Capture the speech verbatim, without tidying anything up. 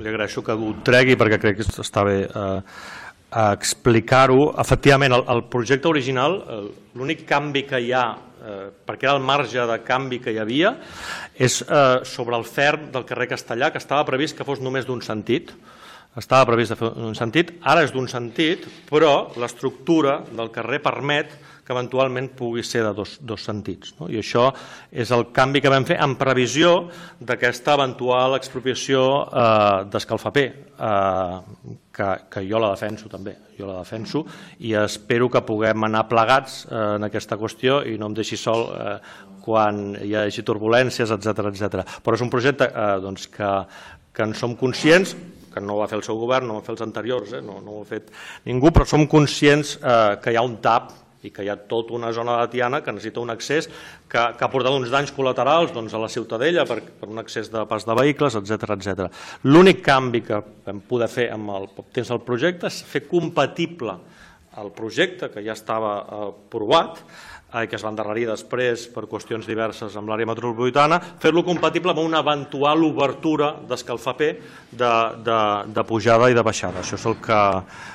li agraeixo que ho tregui perquè crec que està bé explicar-ho. Efectivament, el projecte original, l'únic canvi que hi ha, perquè era el marge de canvi que hi havia, és sobre el ferm del carrer Castellà, que estava previst que fos només d'un sentit. Estava previst de fer un sentit, ara és d'un sentit, però l'estructura del carrer permet que eventualment pugui ser de dos, dos sentits. No? I això és el canvi que vam fer en previsió d'aquesta eventual expropiació eh, d'Escalfaper, eh, que, que jo la defenso també, jo la defenso i espero que puguem anar plegats eh, en aquesta qüestió i no em deixi sol eh, quan hi hagi turbulències, etcètera, etcètera. Però és un projecte eh, doncs, que, que en som conscients, que no ho va fer el seu govern, no ho va fer els anteriors, eh? no, no ho ha fet ningú, però som conscients eh, que hi ha un tap i que hi ha tota una zona de Tiana que necessita un accés que, que ha portat uns danys col·laterals doncs, a la Ciutadella per, per un accés de pas de vehicles, etcètera, etcètera. L'únic canvi que vam poder fer amb el poc temps del projecte és fer compatible el projecte que ja estava aprovat, eh, que es va endarrerir després per qüestions diverses amb l'àrea metropolitana, fer-lo compatible amb una eventual obertura d'Escalfaper de, de, de pujada i de baixada. Això és el que